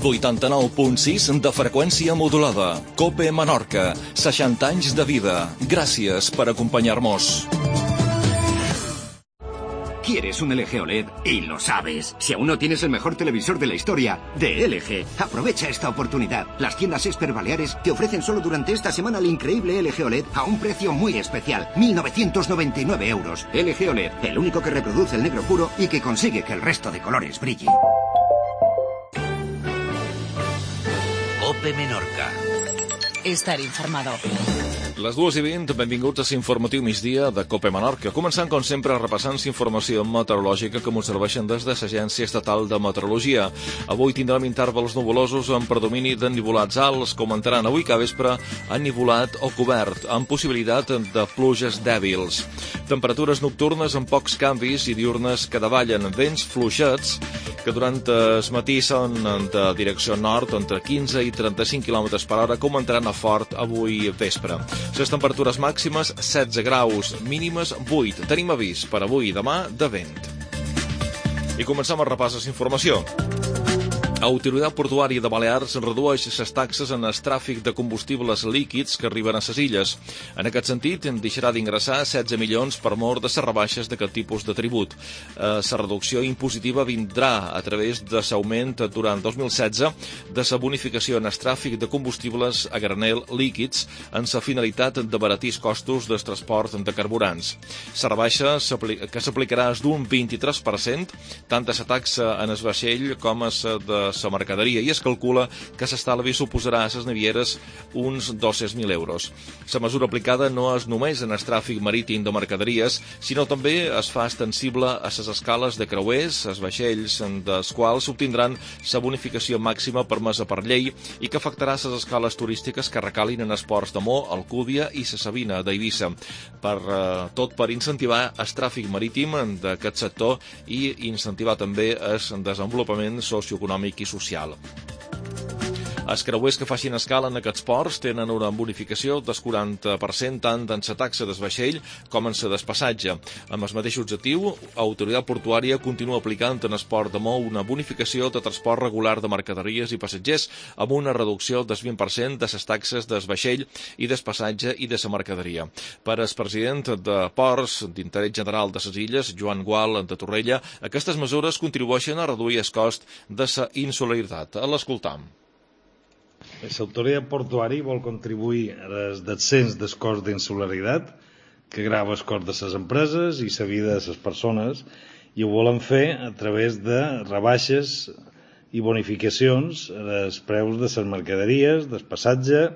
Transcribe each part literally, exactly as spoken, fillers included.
vuitanta-nou punt sis de freqüència modulada. COPE Menorca, seixanta anys de vida. Gràcies per acompanyar-nos. ¿Quieres un L G O L E D? Y lo sabes. Si aún no tienes el mejor televisor de la historia, de L G, aprovecha esta oportunidad. Las tiendas Esper Baleares te ofrecen solo durante esta semana el increíble L G O L E D a un precio muy especial. mil novecientos noventa y nueve euros. L G O L E D, el único que reproduce el negro puro y que consigue que el resto de colores brille. COPE Menorca. Estar informado. Les dues i vint, benvinguts a l'informatiu migdia de COPE Menorca. Començant, com sempre, repassant informació meteorològica que ens serveixen des de l'Agència Estatal de Meteorologia. Avui tindrem intervals nuvolosos amb predomini d'ennivolats alts, com entraran avui que vespre ennivolat o cobert, amb possibilitat de pluges dèbils. Temperatures nocturnes amb pocs canvis i diurnes que davallen, vents fluixets que durant el matí són de direcció nord entre quinze i trenta-cinc quilòmetres per hora, com entraran a fort avui vespre. Les temperatures màximes setze graus, mínimes vuit. Tenim avís per avui i demà de vent. I comencem a repassar l'informació. Autoritat Portuària de Balears redueix les taxes en el tràfic de combustibles líquids que arriben a les illes. En aquest sentit, deixarà d'ingressar setze milions per mort de les rebaixes d'aquest tipus de tribut. La reducció impositiva vindrà a través de l'augment durant dos mil setze de la bonificació en el tràfic de combustibles a granel líquids en la finalitat d'abaratir els costos del transport de carburants. La rebaixa que s'aplicarà és d'un vint-i-tres per cent, tant a la taxa en el vaixell com a la de la mercaderia, i es calcula que l'estalvi suposarà a les navieres uns dos-cents mil euros. La mesura aplicada no és només en el tràfic marítim de mercaderies, sinó també es fa extensible a les escales de creuers, els vaixells dels quals s'obtindran la bonificació màxima permesa per llei i que afectarà les escales turístiques que recalin en els ports de Mo, Alcúdia i la Sabina d'Eivissa. Per, eh, tot per incentivar el tràfic marítim d'aquest sector i incentivar també el desenvolupament socioeconòmic i social. Els creuers que facin escala en aquests ports tenen una bonificació del quaranta per cent tant en la taxa del vaixell com en la del passatge. Amb el mateix objectiu, l'Autoritat Portuària continua aplicant en el port de Mou una bonificació de transport regular de mercaderies i passatgers amb una reducció del vint per cent de les taxes del vaixell i del passatge i de la mercaderia. Per al president de Ports d'Interès General de les Illes, Joan Gual de Torrella, aquestes mesures contribueixen a reduir el cost de la insolidaritat. A l'escoltam. L'autoritat portuària vol contribuir al descens del cost d'insularitat que grava el cost de les empreses i la vida de les persones, i ho volen fer a través de rebaixes i bonificacions als preus de les mercaderies, del passatge,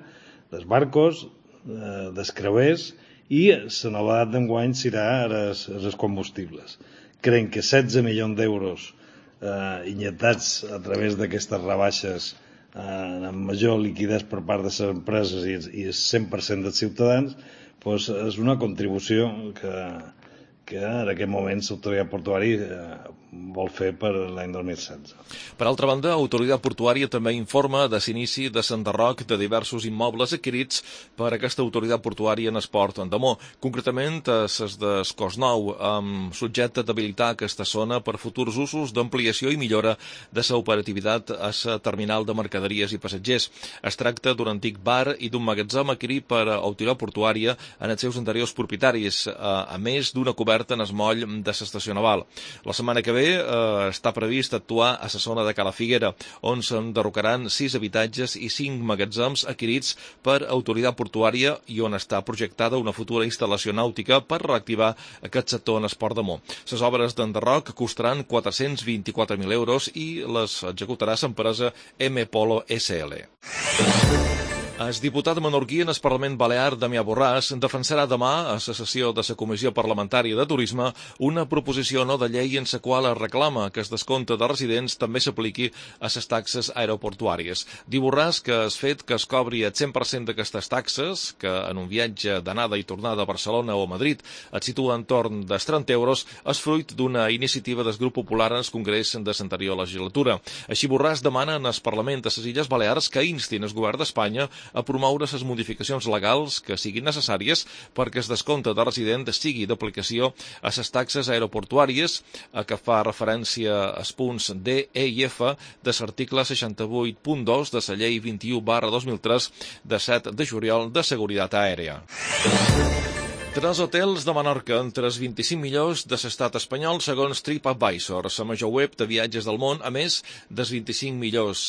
dels barcos, dels creuers, i la novetat d'enguany serà els combustibles. Creiem que setze milions d'euros eh, injectats a través d'aquestes rebaixes amb major liquiditat per part de les empreses i el cent per cent dels ciutadans, doncs és una contribució que, que en aquest moment l'autoritat portuària vol fer per l'any dos mil setze. Per altra banda, l'Autoritat Portuària també informa de l'inici de l'enderroc de diversos immobles adquirits per aquesta autoritat portuària en el port d'Amó, concretament les de Cosnou, amb subjecte d'habilitar aquesta zona per futurs usos d'ampliació i millora de l'operativitat a la terminal de mercaderies i passatgers. Es tracta d'un antic bar i d'un magatzem adquirit per l'autoritat portuària en els seus anteriors propietaris, a més d'una coberta en el moll de l'estació naval. La setmana que ve eh, està previst actuar a la zona de Cala Figuera, on s'enderrocaran sis habitatges i cinc magatzems adquirits per autoritat portuària i on està projectada una futura instal·lació nàutica per reactivar aquest sector en el port d'Amó. Les obres d'enderroc costaran quatre-cents vint-i-quatre mil euros i les executarà l'empresa M Polo S L. El diputat menorquí en el Parlament Balear, Damià Borràs, defensarà demà a la sessió de la Comissió Parlamentària de Turisme una proposició no de llei en la qual es reclama que el descompte de residents també s'apliqui a les taxes aeroportuàries. Diu Borràs que el fet que es cobri el cent per cent d'aquestes taxes, que en un viatge d'anada i tornada a Barcelona o a Madrid et situa entorn dels trenta euros, és fruit d'una iniciativa del Grup Popular en el Congrés de l'anterior legislatura. Així, Borràs demana en el Parlament de les Illes Balears que instin el govern d'Espanya a promoure les modificacions legals que siguin necessàries perquè el descompte de resident sigui d'aplicació a les taxes aeroportuàries, a què fa referència als punts D, E i F de l'article seixanta-vuit punt dos de la llei vint-i-u barra dos mil tres de set de juliol de seguretat aèria. Tres hotels de Menorca entre els vint-i-cinc millors de l'estat espanyol segons TripAdvisor, la major web de viatges del món. A més, dels vint-i-cinc millors,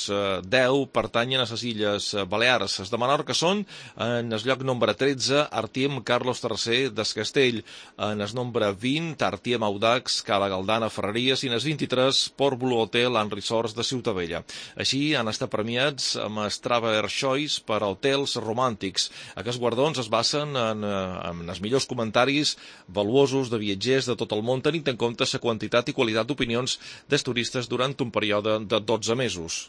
deu pertanyen a les Illes Balears. Els de Menorca són, en el lloc nombre tretze, Artiem Carlos tercer del Castell, en el nombre vint, Artiem Audax, Cala Galdana, Ferreries, i en el vint-i-tres, Port Blue Hotel and Resorts de Ciutadella. Així han estat premiats amb el Traveler Choice per a hotels romàntics. Aquests guardons es basen en, en els millors comentaris valuosos de viatgers de tot el món, tenint en compte la quantitat i qualitat d'opinions dels turistes durant un període de dotze mesos.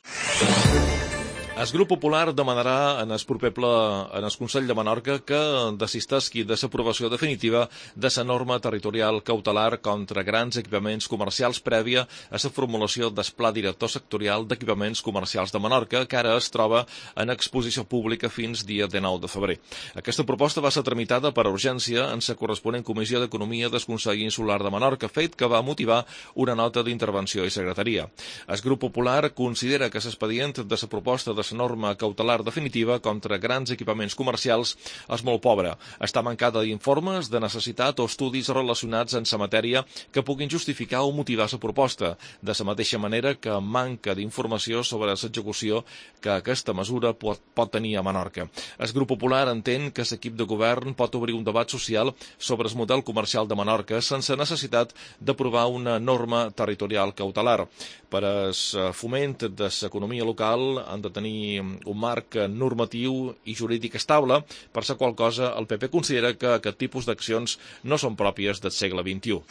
El grup popular demanarà en el proper ple en el Consell de Menorca que desistesqui de l'aprovació definitiva de la norma territorial cautelar contra grans equipaments comercials prèvia a la formulació del Pla Director Sectorial d'Equipaments Comercials de Menorca, que ara es troba en exposició pública fins dia dinou de febrer. Aquesta proposta va ser tramitada per urgència en la corresponent Comissió d'Economia del Consell Insular de Menorca, fet que va motivar una nota d'intervenció i secretaria. El grup popular considera que l'expedient de la proposta de la norma cautelar definitiva contra grans equipaments comercials és molt pobre. Està mancada d'informes de necessitat o estudis relacionats en la matèria que puguin justificar o motivar la proposta, de la mateixa manera que manca d'informació sobre l'execució que aquesta mesura pot, pot tenir a Menorca. El grup popular entén que l'equip de govern pot obrir un debat social sobre el model comercial de Menorca sense necessitat d'aprovar una norma territorial cautelar. Per al foment de l'economia local han de tenir un marc normatiu i jurídic estable, per la qual cosa el P P considera que aquest tipus d'accions no són pròpies del segle vint-i-u.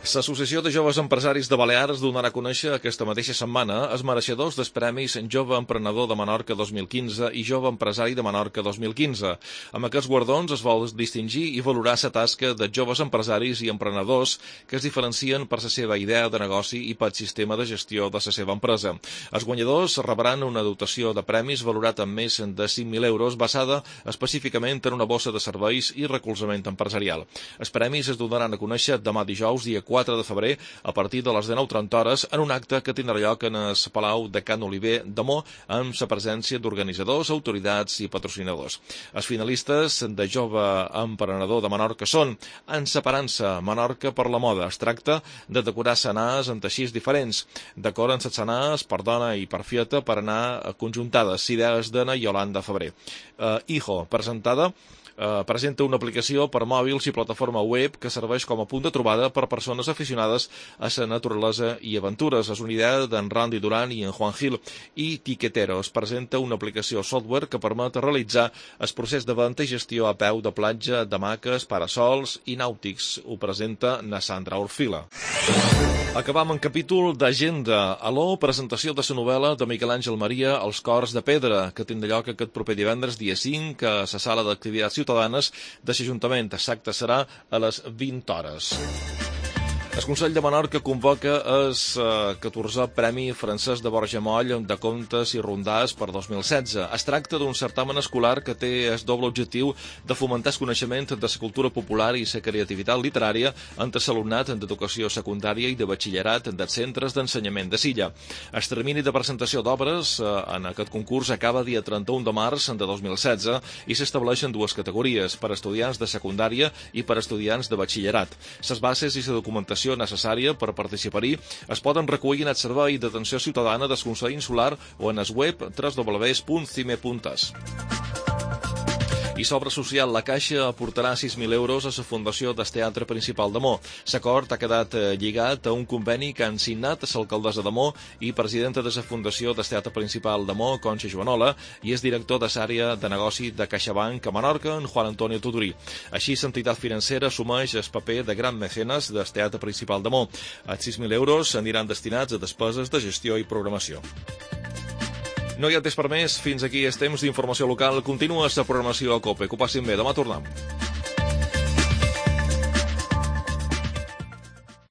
L'Associació de Joves Empresaris de Balears donarà a conèixer aquesta mateixa setmana els mereixedors dels premis Jove Emprenedor de Menorca dos mil quinze i Jove Empresari de Menorca dos mil quinze. Amb aquests guardons es vol distingir i valorar la tasca de joves empresaris i emprenedors que es diferencien per la seva idea de negoci i pel sistema de gestió de la seva empresa. Els guanyadors rebran una dotació de premis valorat en més de cinc mil euros basada específicament en una bossa de serveis i recolzament empresarial. Els premis es donaran a conèixer demà dijous, dia quatre de febrer, a partir de les dinou trenta hores, en un acte que tindrà lloc en el Palau de Can Oliver de Mo, amb la presència d'organitzadors, autoritats i patrocinadors. Els finalistes de Jove Emprenedor de Menorca són Enseparant-se Menorca per la moda. Es tracta de decorar senars en teixits diferents. Decoren les senars per dona i per fieta per anar conjuntades. Idees d'Anna Yolanda Febrer. Uh, Hijo, presentada Uh, presenta una aplicació per mòbils i plataforma web que serveix com a punt de trobada per persones aficionades a la naturalesa i aventures. És una idea d'en Randy Duran i en Juan Gil. I Tiquetero es presenta una aplicació software que permet realitzar el procés de venda i gestió a peu de platja, d'hamaques, parasols i nàutics. Ho presenta na Sandra Orfila. Acabam en capítol d'agenda. Aló, presentació de la novel·la de Miquel Àngel Maria, Els cors de pedra, que tindrà lloc aquest proper divendres, dia cinc, a la sala d'activitats ciutadanes de l'Ajuntament. L'acte serà a les vint hores. El Consell de Menorca convoca el eh, catorzè Premi Francesc de Borja Moll de contes i rondars per dos mil setze. Es tracta d'un certamen escolar que té el doble objectiu de fomentar el coneixement de la cultura popular i la creativitat literària entre l'alumnat d'educació secundària i de batxillerat dels centres d'ensenyament de Silla. El termini de presentació d'obres eh, en aquest concurs acaba dia trenta-u de març de dos mil setze i s'estableixen dues categories, per estudiants de secundària i per estudiants de batxillerat. Les bases i la documentació necessària per participar-hi es poden recollir en el Servei d'Atenció Ciutadana del Consell Insular o en el web w w w punt cime punt es. I sobre social, la Caixa aportarà sis mil euros a la Fundació del Teatre Principal de Mo. L'acord ha quedat lligat a un conveni que han signat l'alcaldessa de Mo i presidenta de la Fundació del Teatre Principal de Mo, Conxa Joanola, i és director de l'àrea de negoci de CaixaBank a Menorca, en Juan Antonio Tudurí. Així, l'entitat financera assumeix el paper de gran mecenes del Teatre Principal de Mo. Els sis mil euros aniran destinats a despeses de gestió i programació. No hi ha temps per més. Fins aquí el temps d'informació local. Continua la programació a COPE. Que ho passin bé. Demà tornem.